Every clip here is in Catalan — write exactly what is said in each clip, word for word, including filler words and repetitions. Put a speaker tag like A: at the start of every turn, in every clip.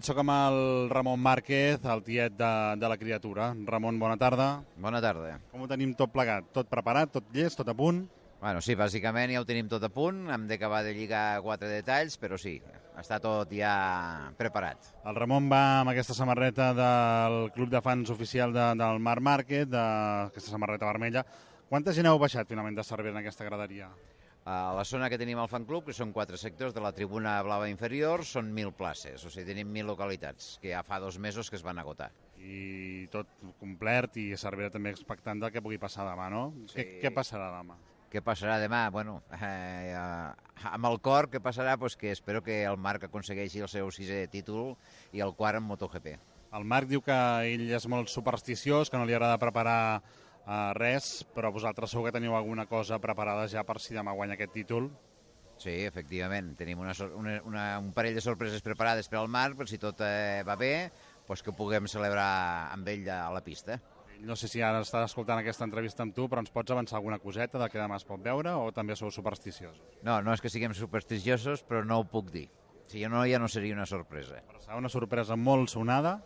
A: Soc amb el Ramon Márquez, el tiet de, de la criatura. Ramon, bona tarda.
B: Bona tarda.
A: Com ho tenim tot plegat? Tot preparat, tot llest, tot a punt?
B: Bueno, sí, bàsicament ja ho tenim tot a punt. Hem d'acabar de lligar quatre detalls, però sí, està tot ja preparat.
A: El Ramon va amb aquesta samarreta del club de fans oficial de, del Marc Márquez, d'aquesta samarreta vermella. Quanta gent heu baixat finalment de Cervera en aquesta graderia?
B: A la zona que tenim al fan club, que són quatre sectors de la tribuna blava inferior, són mil places, o sigui, tenim mil localitats, que ja fa dos mesos que es van agotar.
A: I tot complert i Cervera també expectant del que pugui passar demà, no?
B: Sí.
A: Què, què passarà demà?
B: Què passarà demà? Bueno, eh, eh, amb el cor, què passarà? Pues que espero que el Marc aconsegueixi el seu sisè títol i el quart en MotoGP.
A: El Marc diu que ell és molt supersticiós, que no li agrada preparar uh, res, però vosaltres segur que teniu alguna cosa preparada ja per si demà guanya aquest títol.
B: Sí, efectivament, tenim una, una, una, un parell de sorpreses preparades per al Marc, per si tot eh, va bé, pues que ho puguem celebrar amb ell a la pista.
A: No sé si ara està escoltant aquesta entrevista amb tu, però ens pots avançar alguna coseta del que demà es pot veure o també sou supersticiosos?
B: No, no és que siguem supersticiosos, però no ho puc dir. Si no, ja no seria una sorpresa.
A: Però serà una sorpresa molt sonada?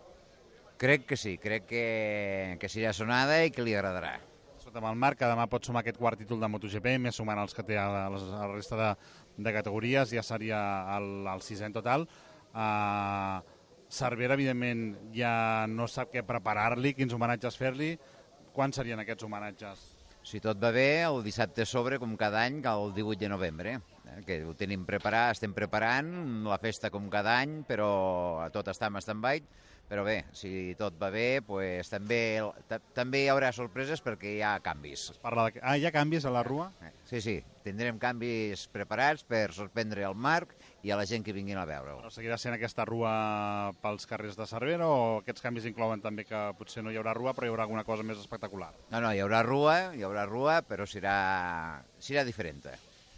B: Crec que sí, crec que, que serà sonada i que li agradarà.
A: Sota amb el Marc, que demà pot sumar aquest quart títol de MotoGP, més sumant els que té a la, a la resta de, de categories, ja seria el, el sisè en total. Uh, Cervera, evidentment, ja no sap què preparar-li, quins homenatges fer-li. Quan serien aquests homenatges?
B: Si tot va bé, el dissabte sobre, com cada any, el divuit de novembre, eh, que ho tenim preparat, estem preparant la festa com cada any, però tot està en stand-by. Però bé, si tot va bé, pues, també, també hi haurà sorpreses perquè hi ha canvis.
A: Es parla de... Ah, hi ha canvis a la rua?
B: Sí, sí, tindrem canvis preparats per sorprendre el Marc i a la gent que vinguin a veure-ho.
A: Però seguirà sent aquesta rua pels carrers de Cervera o aquests canvis inclouen també que potser no hi haurà rua però hi haurà alguna cosa més espectacular?
B: No, no, hi haurà rua, hi haurà rua, però serà, serà diferent.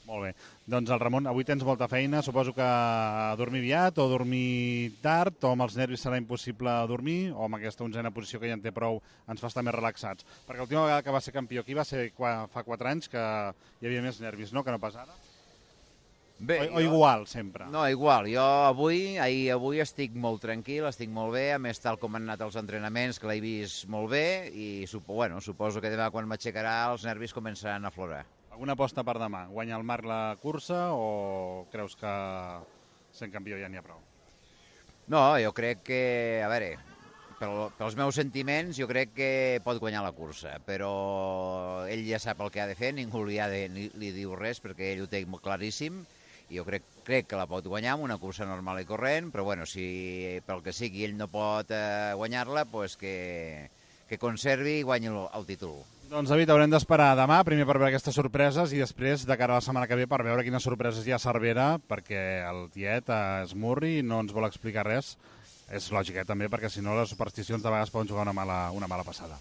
A: Molt bé. Doncs el Ramon, avui tens molta feina, suposo que a dormir aviat o dormir tard, o amb els nervis serà impossible dormir, o amb aquesta onzena posició que ja en té prou ens fa estar més relaxats. Perquè l'última vegada que va ser campió aquí va ser fa quatre anys, que hi havia més nervis, no?, que no pas ara?
B: Bé,
A: o, o igual, sempre?
B: No, igual. Jo avui, ahir, avui estic molt tranquil, estic molt bé, a més tal com han anat els entrenaments, que l'he vist molt bé, i supo, bueno, suposo que demà quan m'aixecarà els nervis començaran a aflorar.
A: Alguna aposta per demà? Guanya el Marc la cursa o creus que sent campió ja n'hi ha prou?
B: No, jo crec que, a veure, pel, pels meus sentiments, jo crec que pot guanyar la cursa, però ell ja sap el que ha de fer, ningú li, ha de, ni, li diu res perquè ell ho té molt claríssim, i jo crec, crec que la pot guanyar amb una cursa normal i corrent, però bueno, si pel que sigui ell no pot eh, guanyar-la, pues que, que conservi i guanyi el, el títol.
A: Doncs, David, haurem d'esperar demà, primer per veure aquestes sorpreses i després, de cara a la setmana que ve, per veure quines sorpreses hi ha a Cervera, perquè el tiet es murri i no ens vol explicar res. És lògic, eh, també, perquè si no les supersticions de vegades poden jugar una mala, una mala passada.